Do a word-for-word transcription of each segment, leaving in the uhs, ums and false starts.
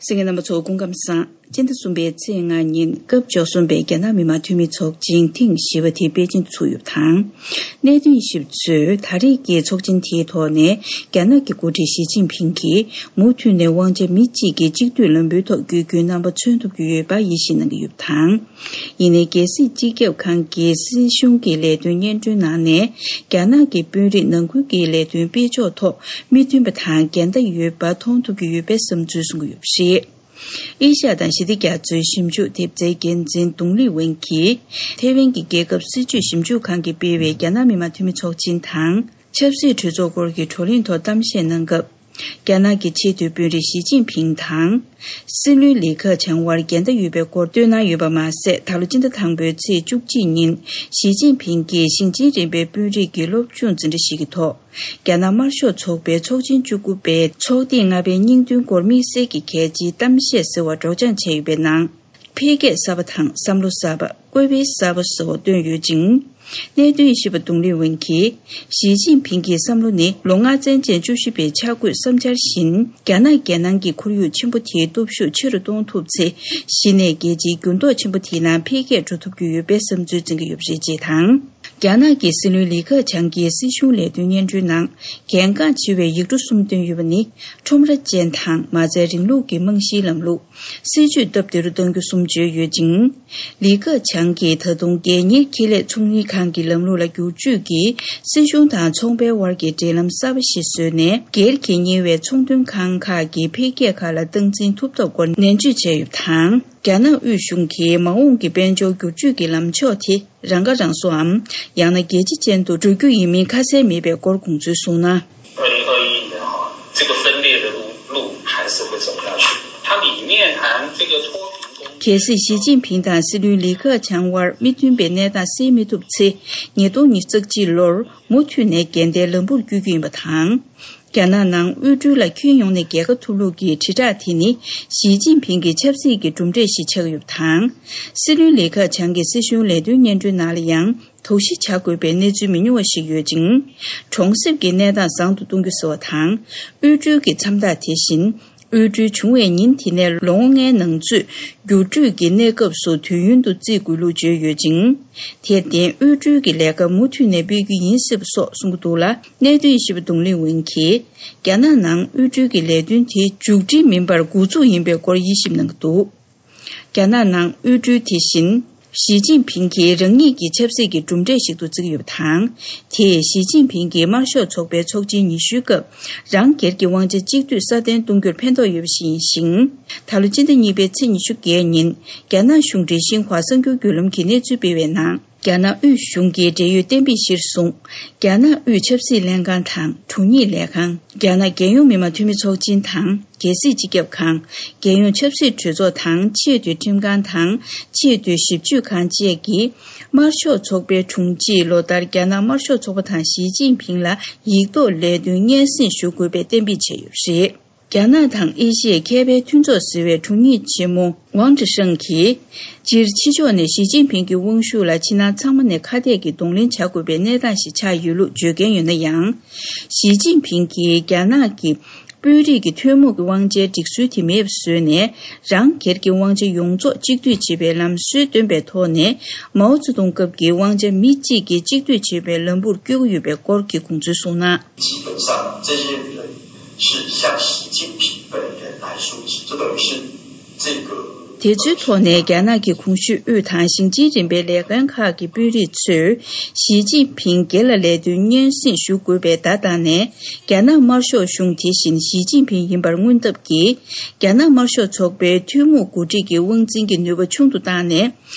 གསན་མཁན་རྣམ་པ་ཚོ་སྐུ་ཁམས་བཟང་། སྤྱི་ཟླ་གསུམ་པའི་ཚེས་ལྔ་ཉིན་སྐབས་བཅུ་གསུམ་པའི་རྒྱ་ནག་མི་དམངས་འཐུས་མི་ཚོགས་ཆེན་ཐེངས་བཞི་པ་དེ་པེ་ཅིང་དུ་ཚུགས་ཡོད་པ་དང་། གནད་དོན་ཞིབ་ཚོས་ད་རེས་ཀྱི་ཚོགས་ཆེན་དེའི་ཐོག་ནས་རྒྱ་ནག་གི་འགོ་ཁྲིད་ཞི་ཅིན་ཕིང་གིས་མུ་མཐུད་ནས་དབང་ཆ་མི་གཅིག་གིས་གཅིག་སྡུད་ལམ་བུའི་ཐོག་བསྐྱོད་རྒྱུའི་རྣམ་པ་མཚོན་ཐུབ་ཀྱི་ཡོད་པ་ཡིད་ཆེས་གནང་གི་ཡོད་པ་དང་། ཡིན་ནའི་རྒྱལ་སྲིད་སྤྱི་ཁྱབ་ཁང་གི་སྲིད་གཞུང་གི་ལས་དོན་སྙན་སྒྲོན་ནང་ནས་རྒྱ་ནག་གི་དཔོན་རིགས་ནང་ཁུལ་གྱི་ལས་དོན་སྤེལ་ཕྱོགས་ཐོག་མི་མཐུན་པ་དང་འགལ་ཟླ་ཡོད་པ་མཐོང་ཐུབ་ཀྱི་ཡོད་པའི་བསམ་ཚུལ་གསུང་གི་ཡོད་པ་རེད། ཨེ་ཤ་ཡ་དང་ཞི་བདེ་རྒྱ་མཚོའི་ཞིབ་འཇུག་ཐེབས་རྩའི་འགན་འཛིན་ཏུང་ལི་ཝེན་གྱིས་ཐེ་ཝན་གྱི་རྒྱལ་ཁབ་སྲིད་བྱུས་ཞིབ་འཇུག་ཁང་གིས་སྤེལ་བའི་རྒྱ་ནག་མི་དམངས་འཐུས་མི་ཚོགས་ཆེན་དང་ཆབ་སྲིད་གྲོས་ཚོགས་སྐོར་གྱི་བགྲོ་གླེང་ཐོག་གཏམ་བཤད་གནང་སྐབས། རྒྱ་ནག་གི་ཆེས་མཐོའི་དཔོན་རིགས་ཞི་ཅིན་ཕིང་དང་། སྲིད་བློན་ལི་ཁེ་ཆང་དབར་འགལ་ཟླ་ཡོད་པའི་སྐོར་བཏོན་གནང་ཡོད་པ་མ་ཟད། ད་ལོ་སྤྱི་ཟླ་དང་པོའི་ཚེས་བཅུ་གཅིག་ཉིན་ཞི་ཅིན་ཕིང་གིས་ཞིང་ཆེན་རིམ་པའི་དཔོན་རིགས་ཀྱི་སློབ་སྦྱོང་འཛིན་གྲྭ་ཞིག་གི་ཐོག་རྒྱ་ནག་དམར་ཤོག་ཚོགས་པའི་ཚོགས་ཆེན་བཅུ་དགུ་པའི་ཚོགས་ཐེངས་ལྔ་པའི་སྙིང་དོན་སྐོར་དམིགས་བསལ་གྱི་གལ་ཆེའི་གཏམ་བཤད་ཟེར་བ་སྒྲོག་སྦྱང་བྱས་ཡོད་པའི་ནང་། འཕེལ་རྒྱས་གསར་པ་དང་བསམ་བློ་གསར་པ། བཀོད་འཕེལ་གསར་པ་ཟེར་བ་བཏོན་ཡོད་ཅིང་། གནད་དོན་ཞིབ་པ་ཏུང་ལི་ཝེན་གྱིས། ཞི་ཅིན་ཕིང་གི་བསམ་བློ་ནི་ལོ་ལྔ་ཚན་ཅན་བཅུ་བཞི་པའི་འཆར་འགོད་བསམ་འཆར་བཞིན། རྒྱ་ནག་རྒྱལ་ནང་གི་ཁོར་ཡུག་ཆེན་པོ་དེའི་སྟོབས་ཤུགས་ཆེ་རུ་གཏོང་ཐུབ་ཚེ། གཞི་ནས་རྒྱལ་སྤྱིའི་འགྱུར་ལྡོག་ཆེན་པོ་དེའི་ནང་འཕེལ་རྒྱས་འགྲོ་ཐུབ་ཀྱི་ཡོད་པའི་བསམ་ཚུལ་འཛིན་གྱི་ཡོད་པ་རེད་ཅེས་དང་། རྒྱ་ནག་གི་སྲིད་བློན་ལི་ཁེ་ཆང་གིས་སྲིད་གཞུང་ལས་དོན་སྙན་སྒྲོན་ནང་གལ་འགངས་ཆེ་བའི་ཡིག་འབྲུ་གསུམ་བཏོན་ཡོད་པ་ནི། ཁྲོམ་ར་ཅན་དང་མ་རྩའི་རིང་ལུགས་ཀྱི་རྨང་གཞིའི་ལམ་ལུགས། སྲིད་ཇུས་སྟབས་བདེ་རུ་གཏང་རྒྱུ་གསུམ་བརྗོད་ཡོད་ཅིང་། ལི་ཁེ་ཆང་གིས་ད་དུང་རྒྱལ་གཉེར་ཁེ་ལས་ཚོང་གཉེར་ཁང་གི་ལམ་ལུགས་ལ་བསྒྱུར་བཅོས་ཀྱིས་སྲིད་གཞུང་དང་ཚོང་པའི་དབར་གྱི་འབྲེལ་ལམ་གསར་པ་ཞིག་བཟོས་ནས། སྒེར་གྱིས་གཉེར་བའི་ཚོང་དོན་ཁང་ཁག་གི་འཕེལ་རྒྱས་ཁག་ལ་སྟངས་འཛིན་ཐུབ་ཐབས་སྐོར་ནན་བརྗོད་བྱས་ཡོད་པ་དང་། རྒྱ་ནག་དབུས་གཞུང་གིས་མ་འོངས་ཀྱི་དཔལ་འབྱོར་བསྒྱུར་བཅོས་ཀྱི་ལམ་ཕྱོགས་དེ། རང་ཁ་རང་གསོའམ། ཡང་ན་རྒྱལ་སྤྱི་ཅན་དུ་འགྲོ་རྒྱུ་ཡིན་མིན་ཁ་གསལ་མེད་པའི་སྐོར་དགོངས་ཚུལ་གསུངས་ན། 二零二一年哈，这个分裂的路路还是会走下去，它里面谈这个脱贫攻坚。 གལ་སྲིད་ཞི་ཅིན་ཕིང་དང་སྲིད་བློན་ལི་ཁེ་ཆང་དབར་མི་མཐུན་པའི་གནས་སྟངས་སེལ་མི་ཐུབ་ཚེ། ཉིས་སྟོང་ཉི་ཤུ་རྩ་གཅིག་ལོར་མུ་མཐུད་ནས་འགལ་ཟླའི་ལམ་བུར་བསྐྱོད་རྒྱུ་ཡིན་པ་དང་། རྒྱ་ནག་ནང་དབུལ་སྒྲོལ་ལ་ཁྱོན་ཡོངས་ནས་རྒྱལ་ཁ་ཐོབ་ལུགས་ཀྱི་དྲིལ་བསྒྲགས་དེ་ནི་ཞི་ཅིན་ཕིང་གི་ཆབ་སྲིད་ཀྱི་གྲུབ་འབྲས་ཤིག་ཆགས་ཡོད་པ་དང་། སྲིད་བློན་ལི་ཁེ་ཆང་གིས་སྲིད་གཞུང་ལས་དོན་སྙན་སྒྲོན་ནང་ལ་ཡང་དོགས་གཞི་བྱ་དགོས་པའི་གནས་ཚུལ་མི་ཉུང་བ་ཞིག་ཡོད་ཅིང་། གྲོང་གསེབ་ཀྱི་གནས་སྟངས་བཟང་དུ་གཏོང་རྒྱུ་ཟེར་བ་དང་། དབུལ་སྒྲོལ་གྱི་མཚམས་རྟགས་དེ་བཞིན། དབུལ་སྒྲོལ་བྱུང་བའི་ཉིན་དེ་ནས་ལོ་ངོ་ལྔའི་ནང་ཚུད་བསྒྱུར་སྤྲོད་ཀྱི་གནས་སྐབས་སུ་དུས་ཡུན་དུ་བརྩི་དགོས་ལུགས་བརྗོད་ཡོད་ཅིང་། དེར་བརྟེན་དབུལ་སྒྲོལ་གྱི་ལས་ཀ་མུ་མཐུད་ནས་སྤེལ་རྒྱུ་ཡིན་སྲིད་པ་སོགས་གསུང་གི་འདུག་ལ། གནད་དོན་ཞིབ་པ་ཏུང་ལི་ཝེན་གྱིས། རྒྱ་ནག་ནང་དབུལ་སྒྲོལ་གྱི་ལས་དོན་དེ་མཇུག་སྒྲིལ་མིན་པར་འགོ་འཛུགས་ཡིན་པའི་སྐོར་དབྱེ་ཞིབ་གནང་གི་འདུག་རྒྱ་ནག་ནང་དབུལ་སྒྲོལ་དེ་བཞིན། ཞི་ཅིན་ཕིང་གིས་རང་ཉིད་ཀྱི་ཆབ་སྲིད་ཀྱི་གྲུབ་འབྲས་ཤིག་ཏུ་བརྩི་གི་ཡོད་པ་དང་། དེས་ཞི་ཅིན་ཕིང་གིས་དམར་ཤོག་ཚོགས་པའི་ཚོགས་ཆེན་ཉི་ཤུའི་སྐབས། རང་སྒེར་གྱི་དབང་ཆ་གཅིག་སྡུད་སྲ་བརྟན་གཏོང་རྒྱུར་ཕན་ཐོགས་ཡོད་པ་ཞིག་ཡིན་ཞིང་། ད་ལོ་སྤྱི་ཟླ་གཉིས་པའི་ཚེས་ཉི་ཤུ་བརྒྱད་ཉིན། རྒྱ་ནག་གཞུང་འབྲེལ་ཤིན་ཧྭ་གསར་འགྱུར་བརྒྱུད་ལམ་གྱིས་གནས་ཚུལ་སྤེལ་བའི་ནང་། རྒྱ་ནག་དབུས་གཞུང་གིས་འབྲེལ་ཡོད་གཏན་འབེབས་གཞིར་བཟུང་། རྒྱ་ནག་དབུས་ཆབ་སྲིད་ལྷན་ཁང་དང་། དྲུང་ཡིག་ལས་ཁང་། རྒྱ་ནག་རྒྱལ་ཡོངས་མི་དམངས་འཐུས་མི་ཚོགས་ཆེན་དང་། རྒྱལ་སྲིད་སྤྱི་ཁྱབ་ཁང་། རྒྱལ་ཡོངས་ཆབ་སྲིད་གྲོས་ཚོགས་དང་ཆེས་མཐོའི་ཁྲིམས་ཁང་དང་ཆེས་མཐོའི་ཞིབ་དཔྱོད་ཁང་བཅས་ཀྱིས། དམར་ཤོག་ཚོགས་པའི་དྲུང་ཆེས་ལོ་ལྟར་རྒྱ་ནག་དམར་ཤོག་ཚོགས་པ་དང་ཞི་ཅིན་ཕིང་ལ་ཡིག་ཐོག་ལས་དོན་སྙན་སེང་ཞུ་དགོས་པའི་གཏན་འབེབས་བྱས་ཡོད་པ་རེད། རྒྱ་ནག་དང་ཨེ་ཤི་ཡའི་མཁས་པའི་མཐུན་ཚོགས་ཟེར་བའི་དྲུང་ཡིག་ཆེན་མོ་ཝང་ཀྲི་ཧྲེང་གིས། སྤྱིར་ཕྱི་ཕྱོགས་ནས་ཞི་ཅིན་ཕིང་གི་དབང་ཤུགས་ལ་ཕྱི་ནང་ཚང་མ་ནས་ཁ་གཏད་ཀྱིས་གདོང་ལེན་བྱ་དགོས་པའི་གནས་སྟངས་ཤིག་ཆགས་ཡོད་ལུགས་བརྗོད་མཁན་ཡོད་ན་ཡང་། ཞི་ཅིན་ཕིང་གིས་རྒྱ་ནག་གི་དཔོན་རིགས་ཀྱི་ཐུན་མོང་གི་དབང་ཆའི་སྒྲིག་སྲོལ་དེ་མེད་པ་བཟོས་ནས། རང་སྒེར་གྱི་དབང་ཆ་ཡོངས་རྫོགས་གཅིག་སྡུད་བྱེད་པའི་ལམ་སྲོལ་བཏོན་པའི་ཐོག་ནས། མའོ་ཙེ་ཏུང་སྐབས་ཀྱི་དབང་ཆ་མི་གཅིག་གིས་གཅིག་སྡུད་བྱེད་པའི་ལམ་བུར་བསྐྱོད་ཀྱི་ཡོད་པའི་སྐོར་གྱི་དགོངས་ཚུལ་གསུངས་ན། 基本上，这些人是向习近平本人来说起，这等于是这个 དེ་ཚོའི་ཐོག་ནས་རྒྱ་ནག་གི་གོང་ཞུས་དབུས་དང་ཞིང་ཆེན་རིམ་པའི་ལས་ཁུངས་ཁག་གི་དཔོན་རིགས་ཚོས་ཞི་ཅིན་ཕིང་སྒེར་ལ་ལས་དོན་སྙན་སེང་ཞུ་དགོས་པའི་བརྡ་བཏང་ནས། རྒྱ་ནག་དམར་ཤོག་གཞུང་དེ་བཞིན་ཞི་ཅིན་ཕིང་ཡིན་པར་མངོན་ཐབས་ཀྱིས། རྒྱ་ནག་དམར་ཤོག་ཚོགས་པའི་ཐུན་མོང་འགོ་ཁྲིད་ཀྱི་དབང་འཛིན་གྱི་ནུས་པ་ཆུང་དུ་བཏང་ནས།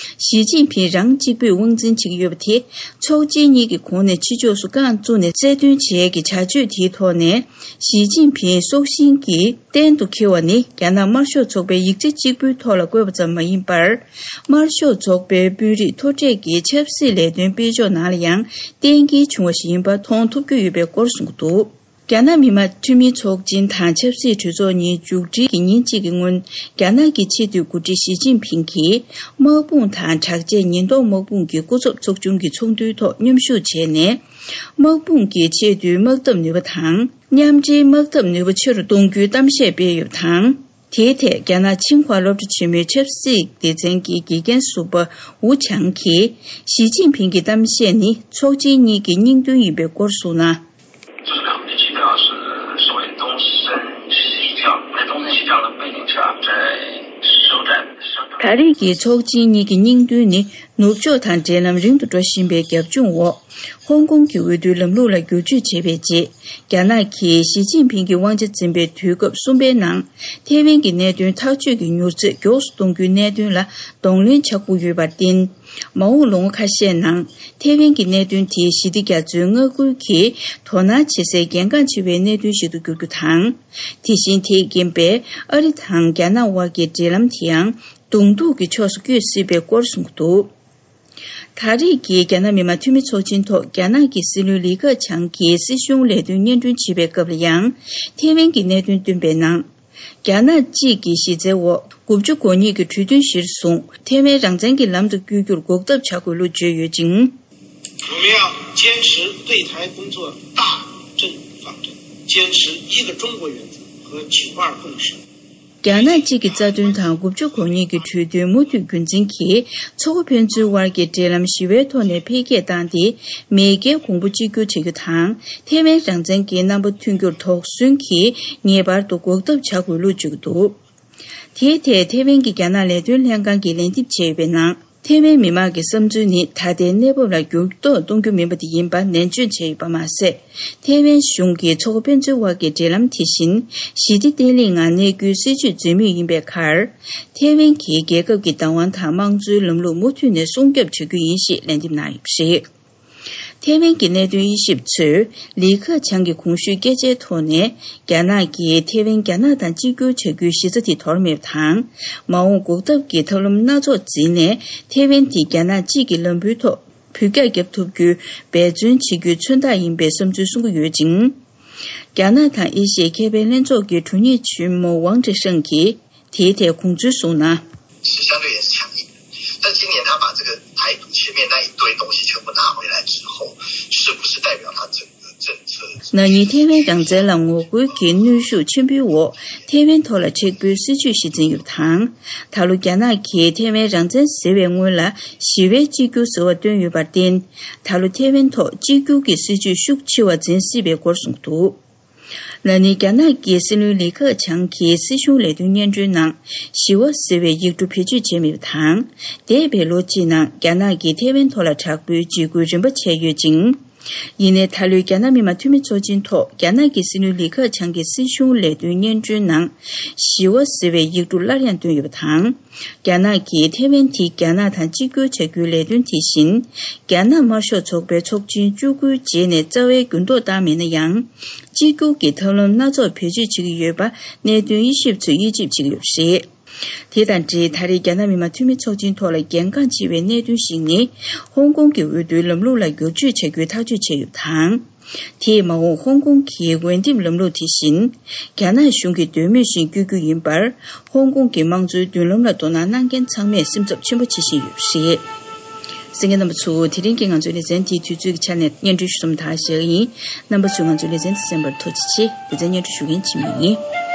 ཞི་ཅིན་ཕིང་རང་གཅིག་པུས་དབང་འཛིན་བྱེད་ཀྱི་ཡོད་པ་དེ། ཚོགས་ཆེན་གཉིས་ཀྱི་གོང་ནས་ཕྱི་ཕྱོགས་སུ་རྐང་བཙུགས་ནས་རྩལ་འདོན་བྱེད་ཡས་ཀྱི་བྱ་སྤྱོད་དེའི་ཐོག་ནས། ཞི་ཅིན་ཕིང་སྲོག་ཤིང་གི་གཏན་དུ་འཁེལ་བ་ནི། རྒྱ་ནག་དམར་ཤོག་ཚོགས་པའི་ཡིག་ཆ་གཅིག་པུའི་ཐོག་ལ་བཀོད་པ་ཙམ་མ་ཡིན་པར། དམར་ཤོག་ཚོགས་པའི་དཔོན་རིགས་མཐོ་གྲས་ཀྱི་ཆབ་སྲིད་ལས་དོན་སྤེལ་ཕྱོགས་ནང་ལ་ཡང་གཏན་འཁེལ་བྱུང་བ་ཞིག་ཡིན་པ་མཐོང་ཐུབ་ཀྱི་ཡོད་པའི་སྐོར་གསུངས་འདུག་རྒྱ་ནག་མི་དམངས་འཐུས་མིའི་ཚོགས་ཆེན་དང་ཆབ་སྲིད་གྲོས་ཚོགས་གཉིས་མཇུག་སྒྲིལ་གྱི་ཉིན་གཅིག་གི་སྔོན། རྒྱ་ནག་གི་ཆེས་མཐོའི་འགོ་ཁྲིད་ཞི་ཅིན་ཕིང་གིས། དམག་དཔུང་དང་དྲག་ཆས་ཉེན་རྟོག་དམག་དཔུང་གི་སྐུ་ཚབ་ཚོགས་ཆུང་གི་ཚོགས་འདུའི་ཐོག་མཉམ་ཞུགས་བྱས་ནས། དམག་དཔུང་གི་ཆེས་མཐོའི་དམག་འཐབ་ནུས་པ་དང་། མཉམ་འབྲེལ་དམག་འཐབ་ནུས་པ་ཆེ་རུ་གཏོང་རྒྱུའི་གཏམ་བཤད་སྤེལ་ཡོད་པ་དང་། དེའི་ཐད་རྒྱ་ནག་ཆིང་ཧྭ་སློབ་གྲྭ་ཆེན་མོའི་ཆབ་སྲིད་སྡེ་ཚན་གྱི་དགེ་རྒན་ཟུར་པ་ཝུ་ཆང་གིས་ཞི་ཅིན་ཕིང་གི་གཏམ་བཤད་ནི་ཚོགས་ཆེན་གཉིས་ཀྱི་སྙིང་དོན་ཡིན་པའི་སྐོར་གསུངས་ན། 就是他们的基调是所谓东升西降，在东升西降的背景下，在首战，首战 ད་རེས་ཀྱི་ཚོགས་ཆེན་གཉིས་ཀྱི་སྙིང་དོན་ནི་ནུབ་ཕྱོགས་དང་འབྲེལ་ལམ་རིང་དུ་འགྲོ་བཞིན་པའི་རྒྱབ་ལྗོངས་འོག་ཧོང་ཀོང་གི་འོས་བསྡུའི་ལམ་ལུགས་ལ་བསྒྱུར་བཅོས་བྱས་པའི་རྗེས། རྒྱ་ནག་གིས་ཞི་ཅིན་ཕིང་གིས་དབང་ཆ་འཛིན་པའི་དུས་སྐབས་གསུམ་པའི་ནང་ཐེ་ཝན་གྱི་གནད་དོན་ཐག་གཅོད་ཀྱི་མྱུར་ཚད་མགྱོགས་སུ་གཏོང་རྒྱུའི་གནད་དོན་ལ་གདོང་ལེན་བྱ་དགོས་ཡོད་པར་བརྟེན། མ་འོངས་ལོ་ངོ་ཁ་ཤས་ནང་ཐེ་ཝན་གྱི་གནད་དོན་དེ་ཞི་བདེ་རྒྱ་མཚོའི་མངའ་ཁུལ་གྱི་དོ་སྣང་བྱེད་སའི་གལ་འགངས་ཆེ་བའི་གནད་དོན་ཞིག་ཏུ་འགྱུར་རྒྱུ་དང་། དེ་བཞིན་དེས་རྐྱེན་པས་ཨ་རི་དང་རྒྱ་ནག་དབར་གྱི་འབྲེལ་ལམ་དེའང་གདོང་ཐུག་གི་ཕྱོགས་སུ་བསྐྱོད་སྲིད་པའི་སྐོར་གསུངས་འདུག་ད་རེས་ཀྱི་རྒྱ་ནག་མི་དམངས་འཐུས་མི་ཚོགས་ཆེན་ཐོག་རྒྱ་ནག་གི་སྲིད་བློན་ལི་ཁེ་ཆང་གིས་སྲིད་གཞུང་ལས་དོན་སྙན་སྒྲོན་བྱེད་པའི་སྐབས་ལ་ཡང་ཐེ་ཝན་གྱི་གནད་དོན་བཏོན་པའི་ནང་། རྒྱ་ནག་གཅིག་གི་གཞི་རྩའི་འོག་དགུ་བཅུ་གོ་གཉིས་ཀྱི་གྲོས་མཐུན་གཞིར་བཟུང་ཐེ་ཝན་རང་བཙན་གྱི་ལམ་དུ་བསྐྱོད་རྒྱུར་འགོག་ཐབས་བྱ་དགོས་ལུགས་བརྗོད་ཡོད་ཅིང་། 我们要坚持对台工作大政方针，坚持一个中国原则和九二共识。 རྒྱ་ནག་གཅིག་གི་རྩ་དོན་དང་དགུ་བཅུ་གོ་གཉིས་ཀྱི་གྲོས་མཐུན་མུ་མཐུད་རྒྱུན་འཛིན་གྱིས་མཚོ་ཁ་ཕན་ཚུན་དབར་གྱི་འབྲེལ་ལམ་ཞི་བའི་ཐོག་ནས་འཕེལ་རྒྱས་བཏང་སྟེ། མེས་རྒྱལ་གོང་བུ་གཅིག་གྱུར་བྱེད་རྒྱུ་དང་། ཐེ་ཝན་རང་བཙན་གྱི་རྣམ་པ་མཐུན་འགྱུར་དོགས་ཟོན་གྱིས་ངེས་པར་དུ་འགོག་ཐབས་བྱ་དགོས་ལུགས་བརྗོད་ཀྱི་འདུག་དེའི་ཐད་ཐེ་ཝན་གྱི་རྒྱ་ནག་ལས་དོན་ལྷན་ཁང་གིས་ལན་འདེབས་བྱས་ཡོད་པའི་ནང་། ཐེ་ཝན་མི་མང་གི་བསམ་ཚུལ་ནི་ད་ལྟའི་གནས་བབ་ལ་འགྱུར་ལྡོག་གཏོང་རྒྱུ་མིན་པ་དེ་ཡིན་པ་ནན་བརྗོད་བྱས་ཡོད་པ་མ་ཟད། ཐེ་ཝན་གཞུང་གིས་མཚོ་ཁ་ཕན་ཚུན་དབར་གྱི་འབྲེལ་ལམ་དེ་བཞིན་ཞི་བདེ་བརྟན་ལྷིང་ངང་གནས་རྒྱུའི་སྲིད་ཇུས་འཛིན་མུས་ཡིན་པའི་ཁར། ཐེ་ཝན་གྱིས་རྒྱལ་ཁབ་ཀྱི་བདག་དབང་དང་དམངས་གཙོའི་ལམ་ལུགས་མུ་མཐུད་ནས་སྲུང་སྐྱོབ་བྱ་རྒྱུ་ཡིན་ཞེས་ལན་འདེབས་གནང་ཡོད་པ་རེད། ཐེ་ཝན་གྱི་གནད་དོན་དབྱེ་ཞིབ་ཚོས་ལི་ཁེ་ཆང་གི་གོང་ཞུས་སྐད་ཆའི་ཐོག་ནས། རྒྱ་ནག་གིས་ཐེ་ཝན་རྒྱ་ནག་དང་གཅིག་གྱུར་བྱ་རྒྱུའི་གཞི་རྩ་དེ་དོར་མེད་པ་དང་། མ་འོངས་འགོག་ཐབས་ཀྱི་ཐབས་ལམ་སྣ་ཚོགས་འཛིན་ནས། ཐེ་ཝན་དེ་རྒྱ་ནག་གཅིག་གི་ལམ་བུའི་ཐོག་འཕུར་རྒྱག་བརྒྱབ་ཐུབ་རྒྱུའི་འབད་བརྩོན་བྱེད་རྒྱུའི་མཚོན་རྟགས་ཡིན་པའི་བསམ་ཚུལ་གསུང་གི་ཡོད་ཅིང་། རྒྱ་ནག་དང་ཨེ་ཤི་ཡའི་ཁེ་ཕན་ལྷན་ཚོགས་ཀྱི་དྲུང་ཡིག་ཆེན་མོ་ཝང་ཀྲེ་ཧྲེང་གིས། དེའི་ཐད་དགོངས་ཚུལ་གསུངས་ན། 是相对也是强硬的，但今年他把这个台独前面那一堆东西全部拿回来之后，是不是代表他整个政策？ ན་ནིང་ཐེ་ཝན་རང་བཙན་ལ་ངོ་རྒོལ་གྱི་གནོན་ཤུགས་ཆེན་པོའི་འོག་ཐེ་ཝན་ཐོག་ལ་མཁྲེགས་པོའི་སྲིད་ཇུས་ཤིག་འཛིན་ཡོད་པ་དང་། ད་ལོ་རྒྱ་ནག་གིས་ཐེ་ཝན་རང་བཙན་ཟེར་བའི་སྔོན་ལ་ཞི་བའི་གཅིག་གྱུར་ཟེར་བ་བཏོན་ཡོད་པར་བརྟེན། ད་ལོ་ཐེ་ཝན་ཐོག་གཅིག་གྱུར་གྱི་སྲིད་ཇུས་ཤུགས་ཆེ་བ་འཛིན་སྲིད་པའི་སྐོར་གསུངས་འདུག་ན་ནིང་རྒྱ་ནག་གི་སྲིད་བློན་ལི་ཁེ་ཆང་གིས་སྲིད་གཞུང་ལས་དོན་སྙན་སྒྲོན་ནང་ཞི་བ་ཟེར་བའི་ཡིག་འབྲུ་བེད་སྤྱོད་བྱས་མེད་པ་དང་། འདས་པའི་ལོ་གཅིག་ནང་རྒྱ་ནག་གིས་ཐེ་ཝན་ཐོག་ལ་དྲག་པོའི་འཇིགས་སྐུལ་རིམ་པ་བྱས་ཡོད་ཅིང་། ཡིན་ནའི་ད་ལོའི་རྒྱ་ནག་མི་དམངས་འཐུས་མི་ཚོགས་ཆེན་ཐོག་རྒྱ་ནག་གི་སྲིད་བློན་ལི་ཁེ་ཆང་གིས་སྲིད་གཞུང་ལས་དོན་སྙན་སྒྲོན་ནང་ཞི་བ་ཟེར་བའི་ཡིག་འབྲུ་སླར་ཡང་བཏོན་ཡོད་པ་དང་། རྒྱ་ནག་གིས་ཐེ་ཝན་དེ་རྒྱ་ནག་དང་གཅིག་གྱུར་བྱ་རྒྱུའི་ལས་དོན་དེ་བཞིན། རྒྱ་ནག་དམར་ཤོག་ཚོགས་པའི་ཚོགས་ཆེན་བཅུ་དགུའི་རྗེས་ནས་རྩ་བའི་འགྱུར་ལྡོག་བཏང་མེད་ན་ཡང་། གཅིག་གྱུར་གྱི་ཐབས་ལམ་སྣ་ཚོགས་བེད་སྤྱོད་བྱེད་ཀྱི་ཡོད་པ་གནད་དོན་དབྱེ་ཞིབ་ཚོས་དབྱེ་ཞིབ་བྱེད་ཀྱི་ཡོད་པ་རེད། དེ་དང་འབྲེལ་ད་རེས་རྒྱ་ནག་མི་དམངས་འཐུས་མི་ཚོགས་ཆེན་ཐོག་ལ་གལ་འགངས་ཆེ་བའི་གནད་དོན་ཞིག་ནི། ཧོང་ཀོང་གི་འོས་བསྡུའི་ལམ་ལུགས་ལ་བསྒྱུར་བཅོས་བྱ་རྒྱུའི་ཐག་གཅོད་བྱས་ཡོད་པ་དང་། དེས་མ་འོངས་ཧོང་ཀོང་གི་འོས་འདེམས་ལམ་ལུགས་དེ་བཞིན། རྒྱ་ནག་གཞུང་གི་འདོད་མོས་བཞིན་བསྐྱོད་རྒྱུ་ཡིན་པར། ཧོང་ཀོང་གི་དམངས་གཙོའི་མདུན་ལམ་ལ་དོ་སྣང་གནང་མཁན་ཚང་མས་སེམས་འཚབ་ཆེན་པོ་བྱེད་བཞིན་ཡོད་པ་རེད། གསན་མཁན་རྣམ་པ་ཚོ། དེ་རིང་གི་ང་ཚོའི་ལེ་ཚན་དེའི་དུས་ཚོད་ཀྱི་ཆ་ནས་སྙན་སྒྲོན་ཞུ་མཚམས་དག་བཞག་གི་ཡིན། རྣམ་པ་ཚོས་ང་ཚོའི་ལེ་ཚན་དེ་གསན་པར་ཐུགས་རྗེ་ཆེ། ལེ་ཚན་སྙན་སྒྲོན་ཞུ་མཁན་འཆི་མེད་ཡིན།